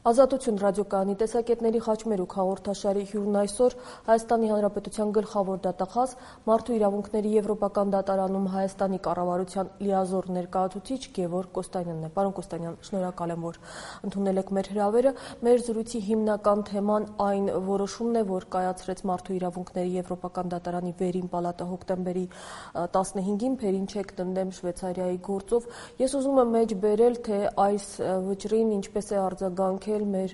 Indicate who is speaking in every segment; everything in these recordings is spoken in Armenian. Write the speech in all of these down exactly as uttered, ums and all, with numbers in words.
Speaker 1: Ազատություն ռադիոկայանի տեսակետների խաչմերուկ հաղորդաշարի հյուրն այսօր Հայաստանի Հանրապետության գլխավոր դատախազ, Մարդու իրավունքների եվրոպական դատարանում Հայաստանի կառավարության լիազոր ներկայացուցիչ Գևորգ Կոստանյանն է։ Պարոն Կոստանյան, շնորհակալ եմ, որ ընդունել եք մեր հրավերը։ Մեր զրույցի հիմնական թեման այն որոշումն է, որ կայացրեց Մարդու իրավունքների եվրոպական դատարանի վերին պալատը հոկտեմբերի տասնհինգին Փերինչեկ դնդեմ Շվեյցարիայի գործով։ Ես ուզում եմ մեջ բերել, թե այս վճռին ինչպես է արձագանքել մեր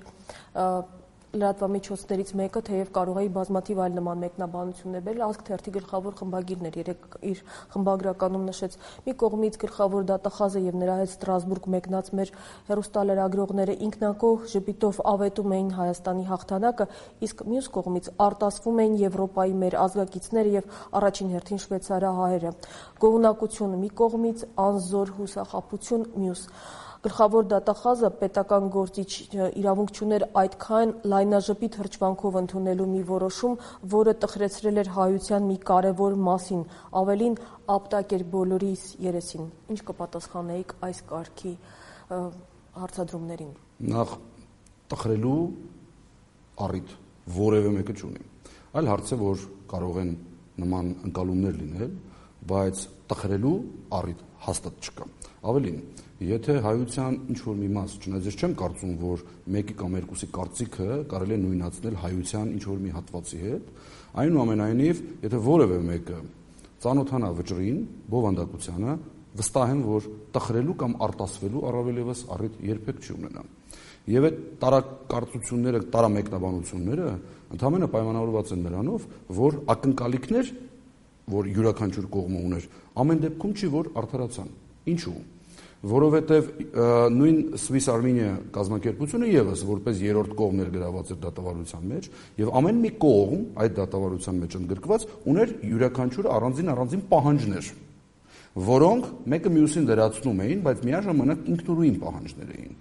Speaker 1: լրատվամիջոցներից մեկը, թեև կարող է բազմաթիվ այլ նման մեկնաբանություններ բերել, Ազգ թերթի գլխավոր խմբագիրն էր երեկ իր խմբագրականում նշեց, մի կողմից գլխավոր դատախազը եւ նրա հետ Ստրասբուրգ մեկնած մեր հեռուստալրագրողները ինքնակող ժպիտով ավետում էին Հայաստանի հաղթանակը, իսկ մյուս կողմից արտասվում էին Եվրոպայի մեր ազգակիցները եւ առաջին հերթին շվեյցարահայերը։ Գոհունակություն մի կողմից, անզոր հուսախաբություն մյուս։ Գլխավոր դատախազը պետական գործիչ իրավունք չուներ այդքան լայնաժպիտ հրճվանքով ընդունելու մի որոշում, որը տխրեցրել էր հայության մի կարևոր մասին, ավելին ապտակ էր բոլորիս երեսին։ Ինչ կպատասխանեիք այս կարգի հարցադրումներին։
Speaker 2: Նախ տխրելու առիթ որևէ մեկը չունի։ Այլ հարց է, որ կարող են նման ընկալումներ լինել, բայց տխրելու առիթ հաստատ չկա։ Ավելին, եթե հայության ինչ-որ մի մաս, չնայած ես չեմ կարծում, որ մեկի կամ երկուսի կարծիքը կարելի է նույնացնել հայության ինչ-որ մի հատվածի հետ, այնուամենայնիվ, եթե որևէ մեկը ծանոթանա վճռին, բովանդակությանը, վստահ եմ, որ տխրելու կամ արտասվելու առավել ևս առիթ երբեք չի ունենա։ Եվ այդ տարակարծությունները, տարամեկնաբանությունները ընդհանրապես պայմանավորված են նրանով, որ ակնկալիքներ, որ յուրաքանչյուր կողմը ուներ, ամեն դեպքում չի, որ արդարացան։ Ինչու՞։ Որովհետև նույն Swiss Armenia կազմակերպությունը եւս որպես երրորդ կողմ ներգրաված էր դատավարության մեջ եւ ամեն մի կողմ այդ դատավարության մեջ ընդգրկված ուներ յուրաքանչյուր առանձին առանձին պահանջներ, որոնք մեկը մյուսին դրացնում էին, բայց միաժամանակ ինքնուրույն պահանջներ էին։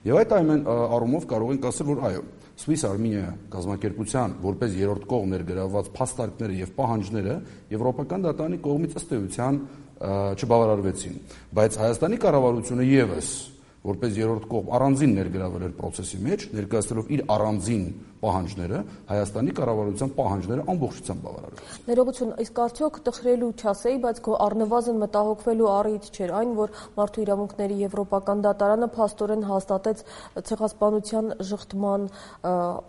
Speaker 2: Եվ այդ այն առումով կարող ենք ասել, որ այո, Swiss Armenia կազմակերպության որպես երրորդ կողմ ներգրաված փաստարկները եւ պահանջները եվրոպական դատարանի կողմից ըստ էության չբավարարվեցին, բայց Հայաստանի կառավարությունը եւս որպես երրորդ կողմ առանձին ներգրավել էր process-ի մեջ, ներկայացնելով իր առանձին պահանջները, Հայաստանի կառավարության պահանջները ամբողջությամբ բավարարվեցին։
Speaker 1: Ներողություն, իսկ արդյոք տխրելու չասեի, բայց քո առնվազն մտահոգվելու առիթ չէր այն, որ Մարդու իրավունքների եվրոպական դատարանը փաստորեն հաստատեց ցեղասպանության ժխտման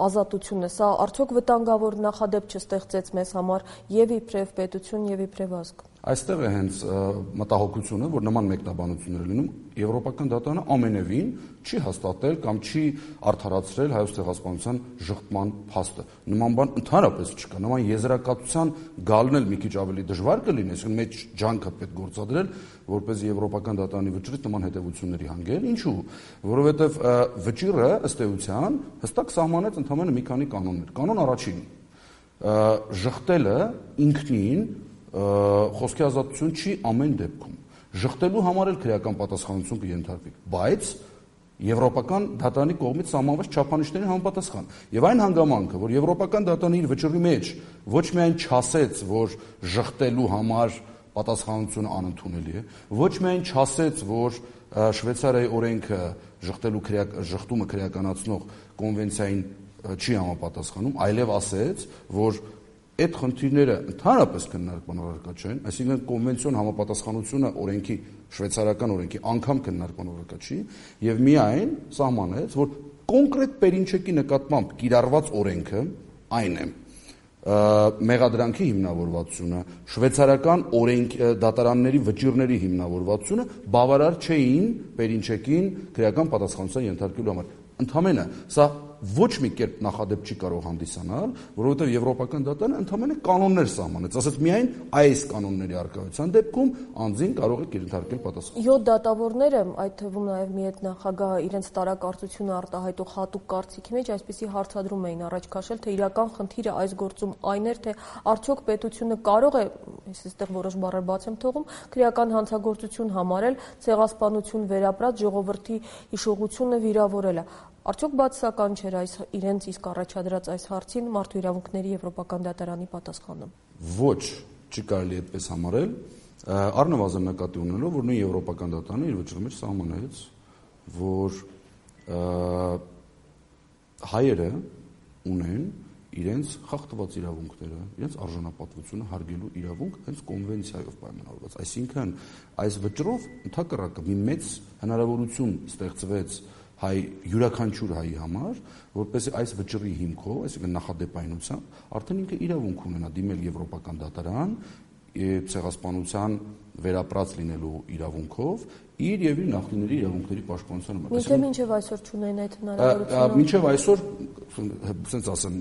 Speaker 1: ազատությունը։ Սա արդյոք վտանգավոր նախադեպ չստեղծեց մեզ համար եւ իբրև պետություն եւ իբրև ազգ։
Speaker 2: Այստեղ է հենց մտահոգությունը, որ նման մեկնաբանություններ լինում, Եվրոպական դատարանը ամենևին չի հաստատել կամ չի արդարացրել հայոց ցեղասպանության ժխտման փաստը։ Նման բան ընդհանրապես չկա։ Նման եզրակացության գալն էլ մի քիչ ավելի դժվար կլինի, այսինքն մեջ ջանքը պետք գործադրել, որպես Եվրոպական դատարանի վճռից նման հետևությունների հանգել։ Ինչու՞։ Որովհետև վճիռը ըստ էության հստակ սահմանեց ընդհանրապես մի քանի կանոններ։ Կանոն առաջին՝ ժխտելը ինքնին խոսքի ազատություն չի ամեն դեպքում։ Ժխտելու համար էլ քրեական պատասխանատվություն կենթարկվի, բայց Եվրոպական դատարանի կողմից սահմանված չափանիշներին համապատասխան։ Եվ այն հանգամանքը, որ Եվրոպական դատարանը իր վճռի մեջ ոչ միայն չասեց, որ ժխտելու համար պատասխանատվությունը անընդունելի է, ոչ միայն չասեց, որ Շվեյցարիայի օրենքը ժխտելու ժխտումը քրեականացնող կոնվենցիային չի համապատասխանում, այլև ասեց, որ այդ խնդիրները ընդհանրապես քննարկման առարկա չեն, այսինքն կոնվենցիոն համապատասխանությունը օրենքի, շվեյցարական օրենքի անգամ քննարկման առարկա չի, եւ միայն սահմանեց, որ կոնկրետ Փերինչեկի նկատմամբ կիրառված օրենքը այն է, մեղադրանքի հիմնավորվածությունը, շվեյցարական օրենք դատարանների վճիռների հիմնավորվածությունը բավարար չէին Փերինչեկին քրեական պատասխանատվության ենթարկելու համար։ Ընդհանրապես սա ոչ մի կերպ նախադեպ չի կարող հանդիսանալ, որովհետև Եվրոպական դատարանը ընդհանրապես կանոններ սահմանեց, ասաց միայն այս կանոնների առկայության դեպքում անձին կարող է կենթարկել պատասխան։
Speaker 1: յոթ դատավորները, այդ թվում նաև մի հետ նախագահը իրենց տարակարծությունը արտահայտող հատուկ կարծիքի մեջ այսպիսի հարցադրում էին առաջ քաշել, թե իրական խնդիրը այս գործում այն էր, թե արդյոք պետությունը կարող է, ես այստեղ որոշ բառեր բաց եմ թողում, քրեական հանցագործություն համարել ցեղասպանություն վերապրած ժողովրդի հիշողությունը վիրավորելը։ Արդյոք բացասական չէր այս իրենց իսկ առաջադրած այս հարցին Մարդու իրավունքների եվրոպական դատարանի պատասխանը։
Speaker 2: Ոչ, չի կարելի այդպես համարել, առնվազն նկատի ունենալով, որ նույն Եվրոպական դատարանը իր վճռի մեջ սահմանեց, որ հայերը ունեն իրենց խախտված իրավունքները, իրենց արժանապատվությունը հարգելու իրավունք հենց կոնվենցիայով պայմանավորված։ Այսինքն այս վճռով ընդհակառակը մի մեծ հնարավորություն ստեղծվեց հայ յուրաքանչյուր հայի համար, որպեսզի այս վճռի հիմքով, այսինքն նախադեպայնությամբ, արդեն ինքը իրավունք ունենա դիմել Եվրոպական դատարան ցեղասպանության վերապրած լինելու իրավունքով իր եւ իր նախնիների իրավունքների պաշտպանության համար։
Speaker 1: Մինչև մինչև այսօր չունեն այդ հնարավորությունը։
Speaker 2: Մինչև այսօր, ասենց ասեմ,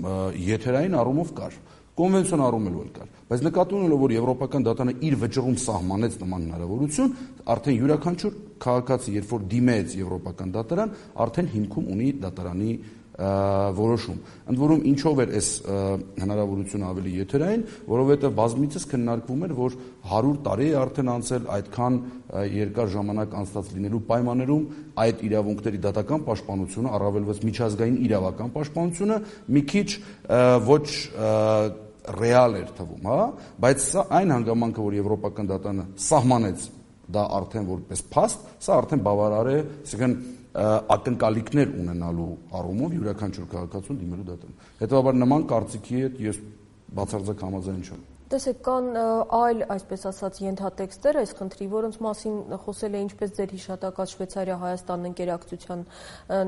Speaker 2: եթերային առումով կար, կոնվենցիոն առումով էլ կար, բայց նկատի ունելով, որ Եվրոպական դատարանը իր վճռում սահմանեց նման հնարավորություն, արդեն յուրաքանչյուր քաղաքացի, երբ որ դիմեց Եվրոպական դատարան, արդեն հիմքում ունի դատարանի որոշում։ Ընդ որում ինչով էր այս հնարավորությունը ավելի եթերային, որովհետև բազմիցս քննարկվում էր, որ հարյուր տարի է արդեն անցել այդքան երկար ժամանակ անցած լինելու պայմաններում այդ իրավունքների դատական պաշտպանությունը, առավելևս միջազգային իրավական պաշտպանությունը մի քիչ ոչ ռեալ էր թվում, հա, բայց սա այն հանգամանքը, որ Եվրոպական դատարանը սահմանեց դա արդեն որպես փաստ, սա արդեն բավարար է, այսինքն ակնկալիքներ ունենալու առումով յուրաքանչյուր քաղաքացուն դիմելու դատարան։ Հետևաբար նման կարծիքի հետ ես բացարձակ համաձայն չեմ։
Speaker 1: Տեսեք, կան այլ, այսպես ասած, ենթատեքստեր այս խնդրի, որոնց մասին խոսել է ինչպես ձեր հիշատակած Շվեյցարիա-Հայաստան ընկերակցության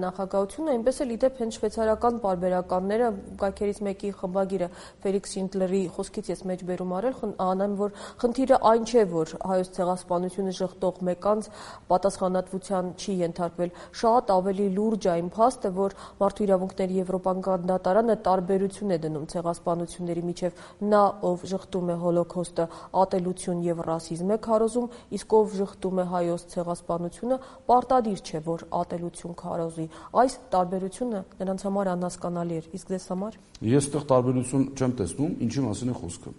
Speaker 1: նախագահությունը, այնպես էլ իդեպ հենց շվեյցարական պարբերականները, կայքերից մեկի խմբագիրը Ֆելիքս Շինդլերի խոսքից ես մեջբերում արել, անեմ, որ խնդիրը այն չէ, որ հայոց ցեղասպանությունը ժխտող մեկ անձ պատասխանատվության չի ենթարկվել, շատ ավելի լուրջ այն փաստը, որ Մարդու իրավունքների Եվրոպական դատարանը տարբերություն է դնում ցեղասպանությունների միջև, նա ով ժխտում է հոլոքոստը, ատելություն եւ ռասիզմ է քարոզում, իսկ ով ժխտում է հայոց ցեղասպանությունը, պարտադիր չէ, որ ատելություն քարոզի։ Այս տարբերությունը նրանց համար անհասկանալի էր, իսկ ձեզ համար։
Speaker 2: Ես այդտեղ տարբերություն չեմ տեսնում, ինչի մասին է խոսքը։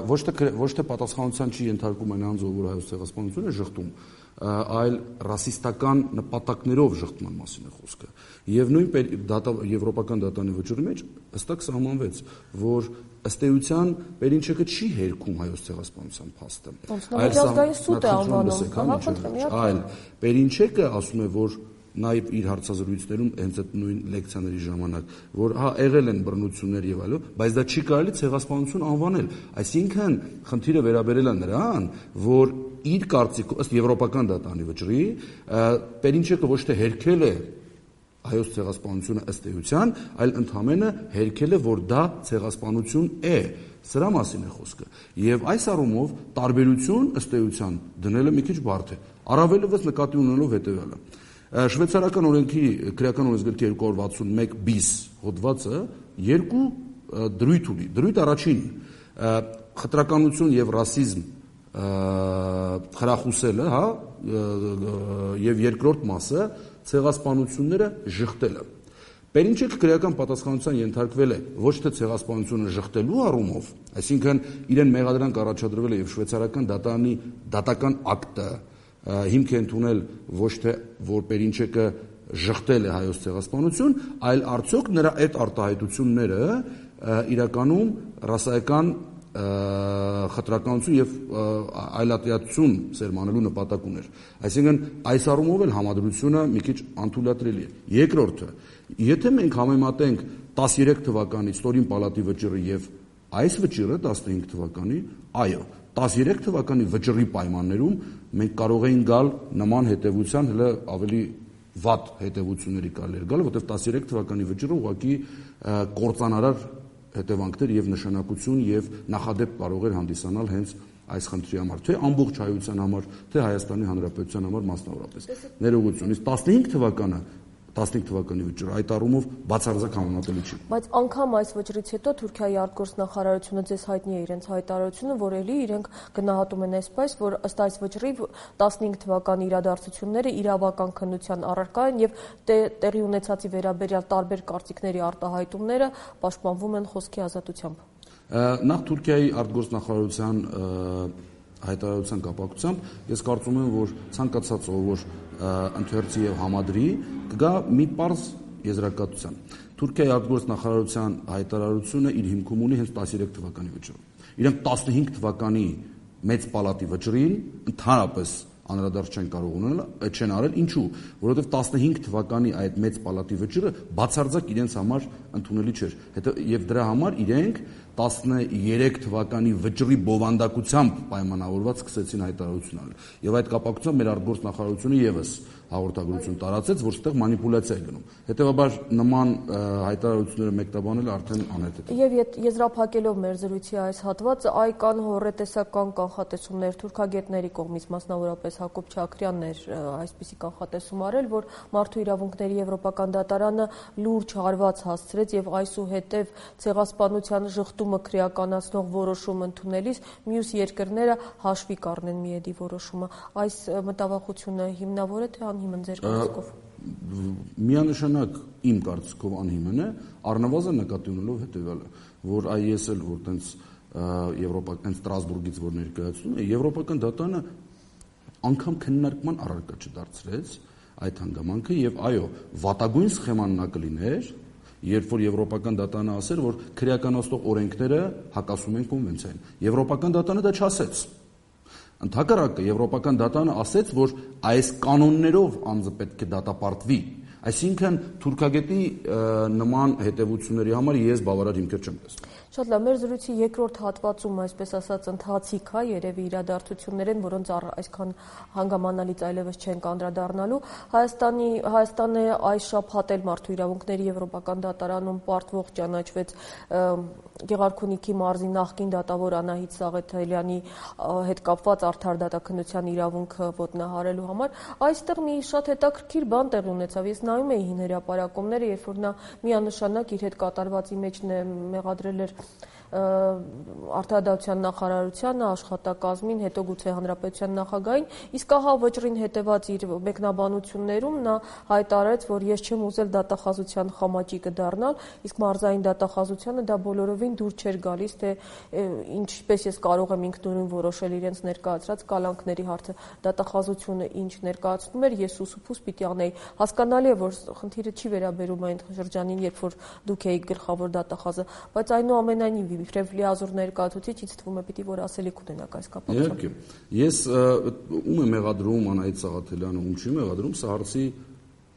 Speaker 2: Ոչ թե ոչ թե պատասխանատվության չի ենթարկում այն անձը, որ հայոց ցեղասպանությունը է ժխտում, այլ ռասիստական նպատակներով ժխտման մասին է խոսքը։ Եվ նույն Եվրոպական դատարանի վճռի մեջ հստակ սահմանվեց, որ ըստ էության Պերինչեկը չի հերքում հայոց ցեղասպանության փաստը։
Speaker 1: Միջազգային սուտ է անվանում։
Speaker 2: Այլ Պերինչեկը ասում է, որ նաև իր հարցազրույցներում հենց այդ նույն լեկցիաների ժամանակ, որ հա եղել են բռնություններ եւ այլն, բայց դա չի կարելի ցեղասպանություն անվանել։ Այսինքն խնդիրը վերաբերել է նրան, որ իր կարծիքով ըստ Եվրոպական դատարանի վճռի Պերինչեկը ոչ թե հերքել է հայոց ցեղասպանությունը ըստ էության, այլ ընդհանրապես հերքել է, որ դա ցեղասպանություն է։ Սրա մասին է խոսքը։ Եվ այս առումով տարբերություն ըստ էության դնելը մի քիչ բարդ է։ Առավելևս նկատի ունենալով հետևյալը։ Շվեյցարական օրենքի քրեական օրենսգրքի երկու հարյուր վաթսունմեկ բիս հոդվածը երկու դրույթ ունի։ Դրույթ առաջին խտրականություն եւ ռասիզմ խրախուսելը, հա, եւ երկրորդ մասը ցեղասպանությունները ժխտելը։ Պերինչեկը քրեական պատասխանատվության ենթարկվել է ոչ թե ցեղասպանությունը ժխտելու առումով, այսինքն իրեն մեղադրանք առաջադրվել է եւ շվեյցարական դատարանի դատական ակտը հիմք է ընդունել ոչ թե որ Պերինչեկը ժխտել է հայոց ցեղասպանություն, այլ արդյոք նրա այդ արտահայտությունները իրականում ռասայական խտրականություն եւ այլատիացություն սերմանելու նպատակ ուներ։ Այսինքն այս առումով էլ համադրությունը մի քիչ անթույլատրելի է։ Երկրորդը, եթե մենք համեմատենք տասներեք թվականի Ստորին պալատի վճռը եւ այս վճռը տասնհինգ թվականի, այո, տասներեք թվականի վճռի պայմաններում մենք կարող էինք գալ նման հետևության հələ ավելի վատ հետևությունների կարելի գալ, որտեղ տասներեք թվականի վճռը ուղղակի կործանարար հետևանքներ եւ նշանակություն եւ նախադեպ կարող էր հանդիսանալ հենց այս խնդրի համար, թե ամբողջ հայության համար, թե Հայաստանի Հանրապետության համար մասնավորապես։ Ներողություն, իսկ տասնհինգ թվականը տասնհինգ թվականի վճռը այդ առումով բացարձակ համեմատելի չի։
Speaker 1: Բայց անգամ այս վճռից հետո Թուրքիայի արտգործնախարարությունը ձեզ հայտնի է իրենց հայտարարությունը, որ էլի իրենք գնահատում են այսպես, որ ըստ այս վճռի տասնհինգ թվականի իրադարձությունները իրավական քննության առարկա են եւ տեղի ունեցածի վերաբերյալ տարբեր կարծիքների արտահայտումները պաշտպանվում են խոսքի ազատությամբ։
Speaker 2: Նախ Թուրքիայի արտգործնախարարության հայտարարության կապակցությամբ ես կարծում եմ, որ ցանկացած ով որ ընթերցի եւ համադրի կգա մի պարզ եզրակացության։ Թուրքիայի արտգործնախարարության հայտարարությունը իր հիմքում ունի հենց տասներեք թվականի վճռը։ Իրենք տասնհինգ թվականի մեծ պալատի վճռին ընդհանրապես անդրադարձ չեն կարող ունենալ, չեն արել, ինչու, որովհետև տասնհինգ թվականի այդ մեծ պալատի վճիռը բացարձակ իրենց համար ընդունելի չէր։ Հետո եւ դրա համար իրենք տասներեք թվականի վճռի բովանդակությամբ պայմանավորված սկսեցին հայտարարություն անել։ Եվ այդ կապակցությամբ մեր արտգործնախարարությունը եւս հաղորդագրություն տարածեց, որ այդտեղ մանիպուլյացիա է գնում։ Հետևաբար նման հայտարարությունները մեկնաբանելը արդեն անհետ է։
Speaker 1: Եվ եզրափակելով մեր զրույցի այս հատվածը, այ կան հոռետեսական կանխատեսումներ թուրքագետների կողմից, մասնավորապես Հակոբ Չաքրյանն էր այսպիսի կանխատեսում արել, որ Մարդու իրավունքների Եվրոպական դատարանը լուրջ հարված հասցրեց եւ այսուհետեւ ցեղասպանության ժխտումը քրեականացնող որոշում ընդունելիս մյուս երկրները հաշվի կառնեն միեդի որոշումը։ Այս մտավախությունը հիմնավոր է թե անհիմն ձեր կարծիքով։
Speaker 2: Միանշանակ իմ կարծիքով անհիմն է, առնվազն նկատի ունելով հետևյալը, որ այ ես էլ որ տենց եվրոպական Ստրասբուրգից որ ներկայացնում է, Եվրոպական դատարանը անգամ քննարկման առարկա չդարձրեց այդ հանգամանքը եւ այո, վատագույն սխեման նա կլիներ, երբ որ Եվրոպական դատարանը ասեր, որ քրեականացնող օրենքները հակասում են կոնվենցիային։ Եվրոպական դատարանը դա չասեց։ Ընդհակառակը Եվրոպական դատարանը ասեց, որ այս կանոններով անձը պետք է դատապարտվի։ Այսինքն թուրքագետի նման հետևությունների համար ես բավարար հիմքեր չեմ տեսնում։
Speaker 1: Շատ լավ, մեր զրույցի երկրորդ հատվածում, այսպես ասած, ընթացիկ է, երևի իրադարձություններ են, որոնց այսքան հանգամանալից այլևս չենք անդրադառնալու։ Հայաստանի Հայաստանը այս շաբաթ էլ Մարդու իրավունքների Եվրոպական դատարանում պարտվող ճանաչվեց Գեղարքունիքի մարզի նախկին դատավոր Անահիտ Սաղաթելյանի հետ կապված արդար դատաքննության իրավունքը ոտնահարելու համար։ Այստեղ մի շատ հետաքրքիր բան տեղի ունեցավ։ Ես նայում էի հին հրապարակումները, երբ որ նա միանշանակ իր հետ կատարվածի մեջ մեղադրել էր Արդարադատության նախարարությանը, աշխատակազմին, հետո գուցե հանրապետության նախագահին, իսկ ահա վճռին հետևած իր մեկնաբանություններում նա հայտարարեց, որ ես չեմ ուզել դատախազության խամաճիկը դառնալ, իսկ մարզային դատախազությանը դա բոլորովին դուր չէր գալիս, թե ինչպես ես կարող եմ ինքնուրույն որոշել իրենց ներկայացրած կալանքների հարցը, դատախազությունը ինչ ներկայացնում էր, ես ուսուփուս պիտի անեի։ Հասկանալի է, որ խնդիրը չի վերաբերում այն շրջանին, երբ որ դուք էիք գլխավոր դատախազը, բայց այնուամենայնիվ իբրև լիազոր ներկայացուցիչ ինձ թվում է պիտի որ ասելիք ունենաք այս կապակցությամբ։
Speaker 2: Իհարկե, ես ում եմ մեղադրում Անահիտ Սաղաթելյանը, ում չի մեղադրում, սա հարցի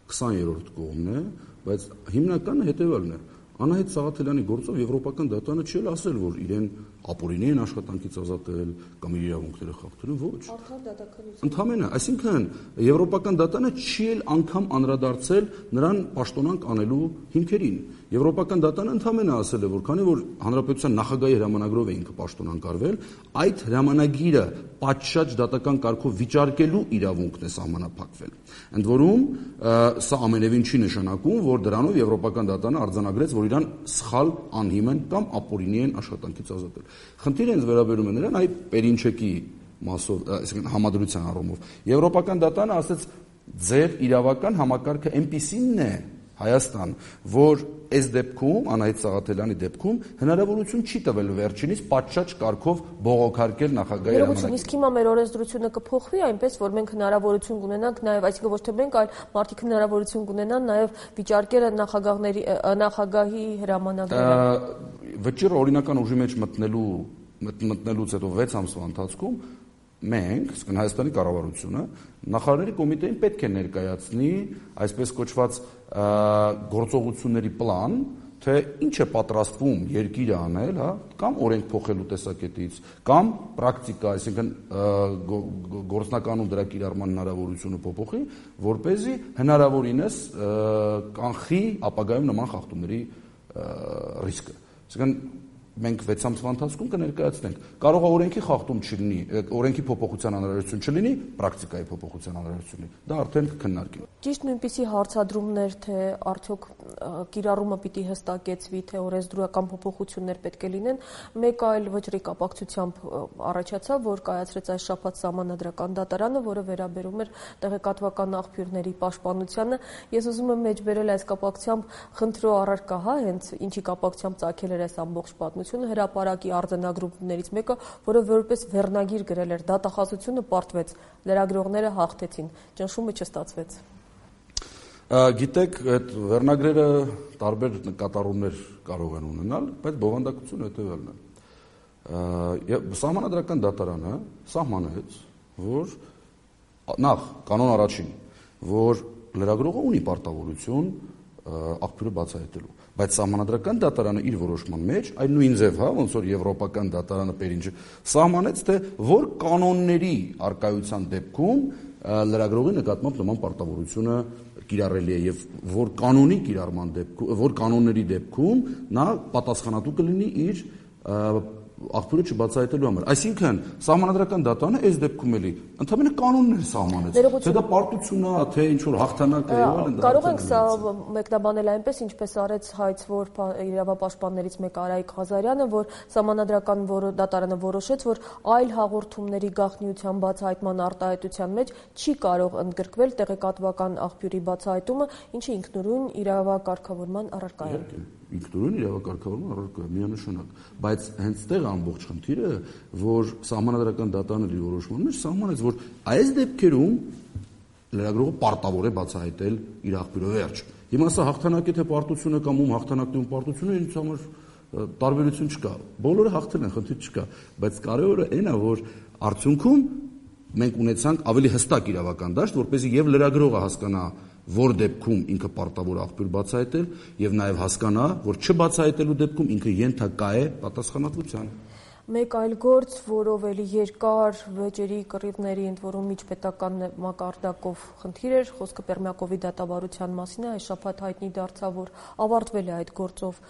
Speaker 2: քսաներորդ կողմն է, բայց հիմնականը հետևյալն է։ Անահիտ Սաղաթելյանի գործով Եվրոպական դատարանը չի ասել, որ իրեն ապօրինի են աշխատանքից ազատել կամ իր իրավունքները խախտել, ոչ։
Speaker 1: Արդար դատաքննություն։
Speaker 2: Ընդհանրապես, այսինքն Եվրոպական դատարանը չի էլ անգամ անդրադարձել նրան պաշտոնանկ անելու հիմքերին։ Եվրոպական դատարանը ընդհանրապես ասել է, որ քանի որ հանրապետության նախագահի հրամանագրով է ինքը պաշտոնանկարվել, այդ հրամանագիրը պատշաճ դատական կարգով վիճարկելու իրավունքն է սահմանափակվել։ Ընդ որում, սա ամենևին չի նշանակում, որ դրանով Եվրոպական դատարանը արձանագրեց, որ իրան սխալ, անհիմն կամ ապօրինի են աշխատանքից ազատել։ Խնդիրը ինձ վերաբերում է նրան այ Պերինչեկի մասով, այսինքն համադրության առումով։ Եվրոպական դատարանը ասաց, ձեր իրավական համակարգը այնպիսին է Հայաստան, որ այս դեպքում, Անահիտ Սաղաթելյանի դեպքում հնարավորություն չի տվել վերջինիս պատշաճ կարգով բողոքարկել նախագահի հրամանագրը։
Speaker 1: Իսկ հիմա մեր օրենսդրությունը կփոխվի այնպես, որ մենք հնարավորություն կունենանք նաև, այսինքն ոչ թե մենք, այլ մարդիկ հնարավորություն կունենան նաև վիճարկել նախագահների նախագահի հրամանագրերը։
Speaker 2: Վճիռը օրինական ուժի մեջ մտնելու մտնելուց հետո վեց ամսվա ընթացքում մենք, իսկ Հայաստանի կառավարությունը նախարարների կոմիտեին պետք է ներկայացնի այսպես կոչված գործողությունների պլան, թե ինչ է պատրաստվում երկիրը անել, հա, կամ օրենք փոխելու տեսակետից, կամ պրակտիկա, այսինքն գործնականում դրա կիրառման հնարավորությունը փոփոխի, որ เป զի հնարավորինս կանխի ապագայում նման խախտումների ռիսկը։ Այսինքն մենք վեց ամսվա ընթացքում կներկայացնենք։ Կարող է օրենքի խախտում չլինի, օրենքի փոփոխության անհրաժեշտություն չլինի, պրակտիկայի փոփոխության անհրաժեշտություն լինի։ Դա արդեն կքննարկենք։
Speaker 1: Ճիշտ նույնպիսի հարցադրումներ, թե արդյոք կիրառումը պիտի հստակեցվի, թե օրենսդրական փոփոխություններ պետք է լինեն, մեկ այլ վճռի կապակցությամբ առաջացավ, որ կայացրեց այս շաբաթ Սահմանադրական դատարանը, որը վերաբերում էր տեղեկատվական աղբյուրների պաշտպանությանը։ Ես ուզում եմ մեջբերել այս կապակցությամբ խնդրո առարկա, հա, հենց ինչի կապակցությամբ ծագել էր այս ամբողջ պատմությունը, հրապարակի արձանագրումներից մեկը, որը որպես վերնագիր գրել էր դատախազությունը պարտվեց, լրագրողները հաղթեցին, ճնշումը չստացվեց։
Speaker 2: Գիտեք, այդ վերնագրերը տարբեր նկատառումներ կարող են ունենալ, բայց բովանդակությունը հետևյալն է։ Սահմանադրական դատարանը սահմանեց, որ նախ կանոն առաջին, որ լրագրողը ունի պարտավորություն աղբյուրը բացահայտելու, բայց սահմանադրական դատարանը իր որոշման մեջ այն նույն ձև, հա, ոնց որ եվրոպական դատարանը Պերինջը սահմանեց, թե որ կանոնների արկայության դեպքում լրագրողի նկատմամբ նման պարտավորությունը կիրառելի է եւ որ կանոնի կիրառման դեպքում, որ կանոնների դեպքում նա պատասխանատու կլինի իր աղբյուրը չբացահայտելու համար։ Այսինքն սահմանադրական դատարանը այս դեպքում էլի ընդհանրապես կանոններ սահմանեց, թե դա պարտություն է, թե ինչ որ հաղթանակ է եւ այլն։
Speaker 1: Կարող ենք սա մեկնաբանել այնպես, ինչպես արեց հայցվոր իրավապաշտպաններից մեկը Արայիկ Ղազարյանը, որ սահմանադրական դատարանը որոշեց, որ այլ հաղորդումների գաղտնիության բացահայտման արտահայտության մեջ չի կարող ընդգրկվել տեղեկատվական աղբյուրի բացահայտումը, ինչը ինքնուրույն իրավակարգավորման առարկա է։
Speaker 2: Ինքնուրույն իրավակարգավորման առարկա է, միանշանակ, բայց հենց տեղ ամբողջ խնդիրը, որ սահմանադրական դատարանի որոշման մեջ սահմանեց, որ այս դեպքերում լրագրողը պարտավոր է բացահայտել իր աղբյուրը վերջ։ Հիմա սա հաղթանակ է թե պարտություն է կամ ում հաղթանակն է ում պարտությունը, ինձ համար տարբերություն չկա։ Բոլորը հաղթել են, խնդիր չկա, բայց կարևորը այն է, որ արդյունքում մենք ունեցանք ավելի հստակ իրավական դաշտ, որպեսզի եւ լրագրողը հասկանա, որ դեպքում ինքը պարտավոր աղբյուր բացահայտել եւ նաեւ հասկանա, որ չբացահայտելու դեպքում ինքը ենթակա է պատասխանատվության։
Speaker 1: Մեկ այլ գործ, որով էլի երկար վեճերի կռիվների ընդ որում միջպետական մակարդակով խնդիր էր, խոսքը Պերմյակովի դատավարության մասին է, այս շաբաթ հայտնի դարձավ, որ ավարտվել է այդ գործով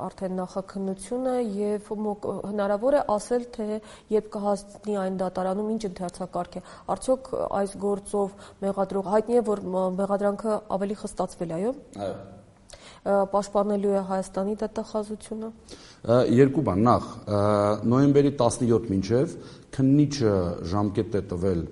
Speaker 1: արդեն նախաքննությունը եւ հնարավոր է ասել, թե երբ կհասնի այն դատարանում ինչ ընթերցակարգ է։ Արդյոք այս գործով մեղադրող հայտնի է, որ մեղադրանքը ավելի խստացվել է, այո։
Speaker 2: Այո։
Speaker 1: Պաշտպանելու է Հայաստանի դատախազությունը։
Speaker 2: Երկու բան, նախ նոյեմբերի տասնյոթ մինչև քննիչը ժամկետ է տվել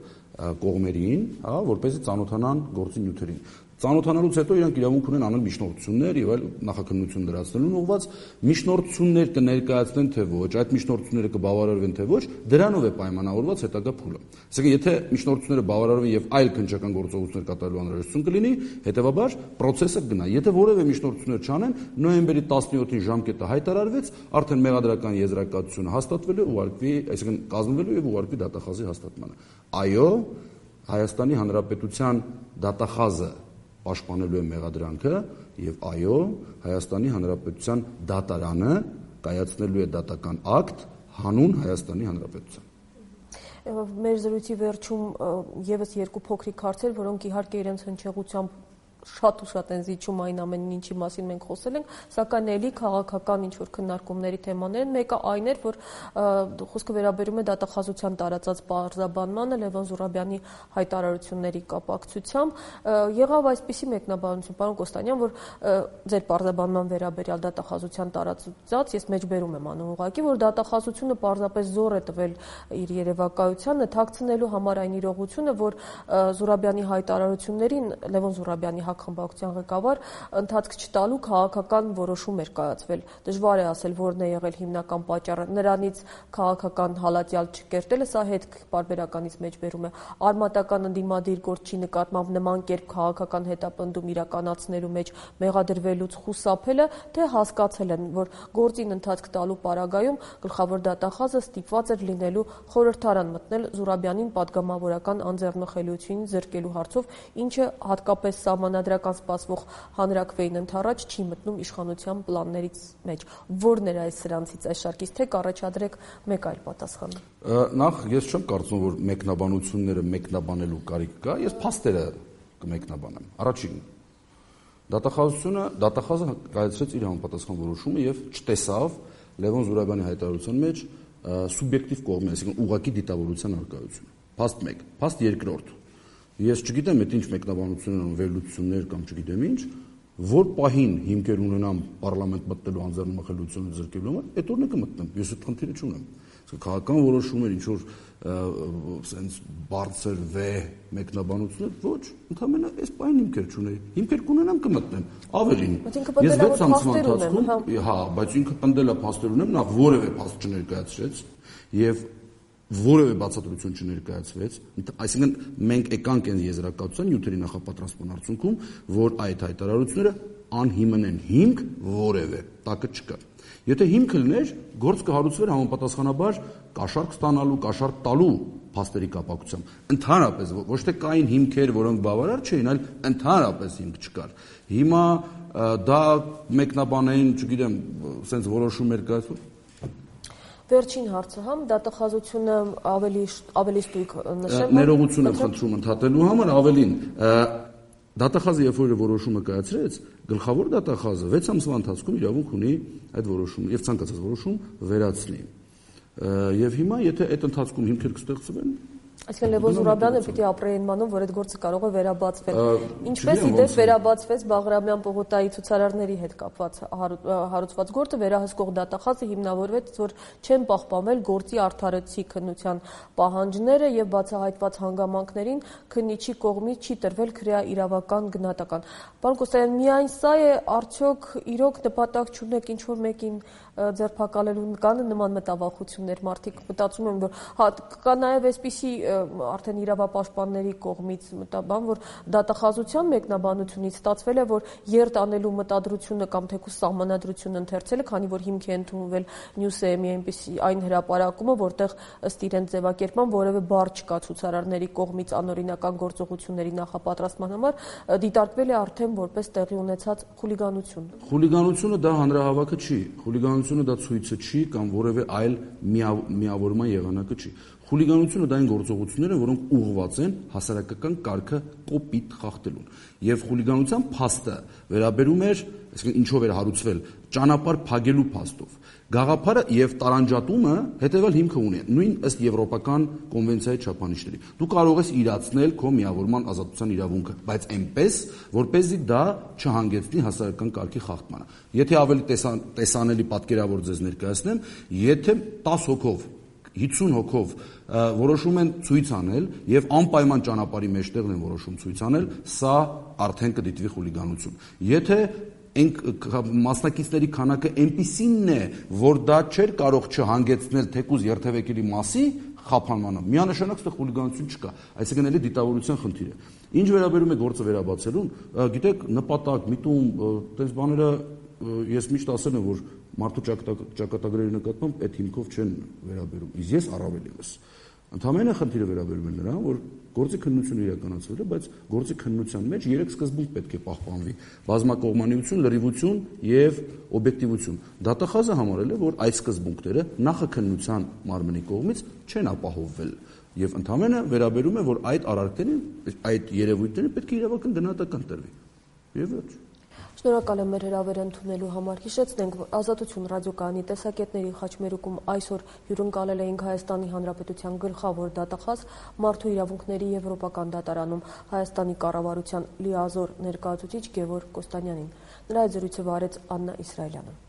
Speaker 2: կողմերին, հա, որպեսզի ծանոթանան գործի նյութերին։ Ծանոթանալուց հետո իրանք իրավունք ունեն անել միջնորդություններ եւ այլ նախաքննություն դրացնելուն ուղղված միջնորդություններ կներկայացնեն թե ոչ, այդ միջնորդությունները կբավարարվեն թե ոչ, դրանով է պայմանավորված հետագա փուլը։ Այսինքն, եթե միջնորդությունները բավարարվեն եւ այլ քննչական գործողություններ կատարելու անհրաժեշտություն կլինի, հետեւաբար process-ը կգնա։ Եթե որևէ միջնորդություններ չանեն, նոյեմբերի տասնյոթին ժամկետը հայտարարվեց, արդեն մեղադրական եզրակացությունը հաստատվել է, ուղարկվի, այսինքն կազմվելու եւ ուղարկվի դատախազի հաստատմանը։ Այո, Հայաստանի Հանրապետության դատախազը պաշտպանելու է մեղադրանքը եւ այո, Հայաստանի Հանրապետության դատարանը կայացնելու է դատական ակտ հանուն Հայաստանի Հանրապետության։
Speaker 1: Մեր զրույցի վերջում եւս երկու փոքրիկ հարցեր, որոնք իհարկե իրենց հնչեղությամբ շատ ու շատ են զիջում այն ամեն ինչի մասին մենք խոսել ենք, սակայն էլի քաղաքական ինչ-որ քննարկումների թեմաներ են։ Մեկը այն էր, որ խոսքը վերաբերում է դատախազության տարածած պարզաբանմանը Լևոն Զուրաբյանի հայտարարությունների կապակցությամբ։ Եղավ այսպիսի մեկնաբանություն, պարոն Կոստանյան, որ ձեր պարզաբանման վերաբերյալ դատախազության տարածած, ես մեջբերում եմ անում ուղղակի, որ դատախազությունը պարզապես զոր է տվել իր երևակայությանը, թաքցնելու համար այն իրողությունը, որ Զուրաբյանի հայտարարություններին Լևոն Զուրաբյանի խմբակցության ղեկավար ընթացք չտալու քաղաքական որոշում էր կայացվել։ Դժվար է ասել, որն է եղել հիմնական պատճառը, նրանից քաղաքական հալածյալ չկերտելը, սա հետ պարբերականից մեջբերում է, արմատական ընդդիմադիր գործի նկատմամբ նման կերպ քաղաքական հետապնդում իրականացնելու մեջ մեղադրվելուց խուսափելը, թե հասկացել են, որ գործին ընթացք տալու պարագայում գլխավոր դատախազը ստիպված էր լինելու խորհրդարան մտնել Զուրաբյանին պատգամավորական անձեռնխելիություն զրկելու հարցով, ինչը հատկապես սահմանադրական սպասվող հանրաքվեին ընդառաջ չի մտնում իշխանության պլաններից մեջ։ Որն էր այս սրանցից այս շարքից, թե կառաջադրեք մեկ այլ պատասխան։
Speaker 2: Նախ ես չեմ կարծում, որ մեկնաբանությունները մեկնաբանելու կարիք կա, ես փաստերը կմեկնաբանեմ։ Առաջին, դատախազությունը, դատախազը կայացրեց իր համապատասխան որոշումը եւ չտեսավ Լևոն Զուրաբյանի հայտարարության մեջ սուբյեկտիվ կողմի, այսինքն ուղղակի դիտավորության արկայությունը։ Փաստ մեկ, փաստ երկրորդ։ Ես չգիտեմ, այդ ինչ մեկնաբանություններ են, վերլուծություններ կամ չգիտեմ ինչ, որ պահին հիմքեր ունենամ պարլամենտ մտնելու անձեռնմխելիությունը զրկելու համար, այդ օրն է կմտնեմ։ Ես այդ խնդիրը չունեմ։ Քաղաքական որոշումներ, ինչ որ սենց բարձր վեհ մեկնաբանություններ, ոչ, ընդհանրապես այս պահին հիմքեր չունեի։ Հիմքեր կունենամ կմտնեմ։ Ավելին, ես վեց ամսվա ընթացքում, հա, բայց ինքը պնդել է փաստեր ունեմ, նա որևէ փաստ չներկայացրեց եւ որևէ բացատրություն չներկայացվեց, այսինքն մենք եկանք այն եզրակացության նյութերի նախապատրաստման արդյունքում, որ այդ հայտարարությունները անհիմն են, հիմք որևէ տակը չկա։ Եթե հիմքը լիներ, գործ կհարուցվեր համապատասխանաբար կաշառք ստանալու, կաշառք տալու փաստերի կապակցությամբ։ Ընդհանրապես ոչ թե կային հիմքեր, որոնք բավարար չէին, այլ ընդհանրապես հիմք չկար։ Հիմա դա մեկնաբանային, չգիտեմ, sense որոշումներ կայացվում։
Speaker 1: Վերջին հարցը համ դատախազությունը ավելի ավելի ստույգ նշեմ։
Speaker 2: Ներողություն եմ խնդրում ընդհատելու համար, ավելին դատախազը երբ որ որոշումը կայացրեց, գլխավոր դատախազը վեց ամսվա ընթացքում իրավունք ունի այդ որոշումը եւ ցանկացած որոշում վերացնի։ Եվ հիմա եթե այդ ընթացքում հիմքեր կստեղծվեն,
Speaker 1: այսինքն Լևոն Զուրաբյանը պիտի ապրեին մանում, որ այդ գործը կարող է վերաբացվել։ Ինչպես իդեպ վերաբացվեց Բաղրամյան պողոտայի ցուցարարների հետ կապված հարուցված գործը, վերահսկող դատախազը հիմնավորվեց, որ չեն պահպանվել գործի արդարացի քննության պահանջները եւ բացահայտված հանգամանքներին քննիչի կողմից չի տրվել քրեա իրավական գնահատական։ Պարոն Կոստանյան, միայն սա է, արդյոք իրոք նպատակ չունեք ինչ որ մեկին ձերբակալելու, կան նման մտավախություններ, մարդիկ մտածում են, որ հա կա նաեւ այսպիսի արդեն իրավապաշտպանների կողմից մտաբան, որ դատախազության մեկնաբանությունից ստացվել է, որ երթ անելու մտադրությունը կամ թեկուզ սահմանադրությունը ընթերցել է, քանի որ հիմք է ընդունվել Նյուսեմի այնպիսի այն հրապարակումը, որտեղ ըստ իրենց ձևակերպման որևէ բառ չկա ցուցարարների կողմից անօրինական գործողությունների նախապատրաստման համար, դիտարկվել է արդեն որպես տեղի ունեցած խուլիգանություն։
Speaker 2: Խուլիգանությունը դա հանրահավաքը չի, խուլիգանությունը դա ցույցը չի կամ որևէ այլ միավորման եղանակը չի։ Խուլիգանությունը դա այն գործողությունները, որոնք ուղղված են հասարակական կարգը կոպիտ խախտելուն։ Եվ խուլիգանության փաստը վերաբերում էր, այսինքն ինչով էր հարուցվել, ճանապարհ փակելու փաստով։ Գաղափարը եւ տարանջատումը հետեւել հիմքը ունի, նույն ըստ եվրոպական կոնվենցիայի չափանիշների։ Դու կարող ես իրացնել քո միավորման ազատության իրավունքը, բայց այնպես, որպեսզի դա չհանգեցնի հասարակական կարգի խախտմանը։ Եթե ավելի տեսանելի պատկերավոր ձեզ ներկայացնեմ, եթե տասը հոգով հիսուն հոգով որոշում են ցույց անել եւ անպայման ճանապարհի մեջտեղն են որոշում ցույց անել, սա արդեն կդիտվի խուլիգանություն։ Եթե այն մասնակիցների քանակը այնպիսինն է, որ դա չէր կարող չհանգեցնել թեկուզ երթևեկելի մասի խափանմանը, միանշանակ ստեղ խուլիգանություն չկա, այսինքն էլի դիտավորության խնդիր է։ Ինչ վերաբերում է գործը վերաբացելուն, գիտեք, նպատակ, միտում, այդպես բաները ես միշտ ասել եմ, որ մարդու ճակատագրերի նկատմամբ այդ հիմքով չեն վերաբերում, իսկ ես առավել ևս։ Ընդհանրապես խնդիրը վերաբերում է նրան, որ գործի քննությունը իրականացվել է, բայց գործի քննության մեջ երեք սկզբունք պետք է պահպանվի՝ բազմակողմանիություն, լրիվություն եւ օբյեկտիվություն։ Դատախազը համարել է, որ այս սկզբունքները նախաքննության մարմնի կողմից չեն ապահովվել եւ ընդհանրապես վերաբերում է, որ այդ արարքներին, այդ երևույթներին պետք է իրավական գնահատական տրվի։ Եվ վերջ։
Speaker 1: Շնորհակալ եմ մեր հրավերը ընդունելու համար։ Հիշեցնենք, որ Ազատություն ռադիոկայանի տեսակետների խաչմերուկում այսօր հյուրընկալել էինք Հայաստանի Հանրապետության գլխավոր դատախազ, Մարդու իրավունքների եվրոպական դատարանում Հայաստանի կառավարության լիազոր ներկայացուցիչ Գևորգ Կոստանյանին։ Նրա հետ զրույցը վարեց Աննա Իսրայելյանը։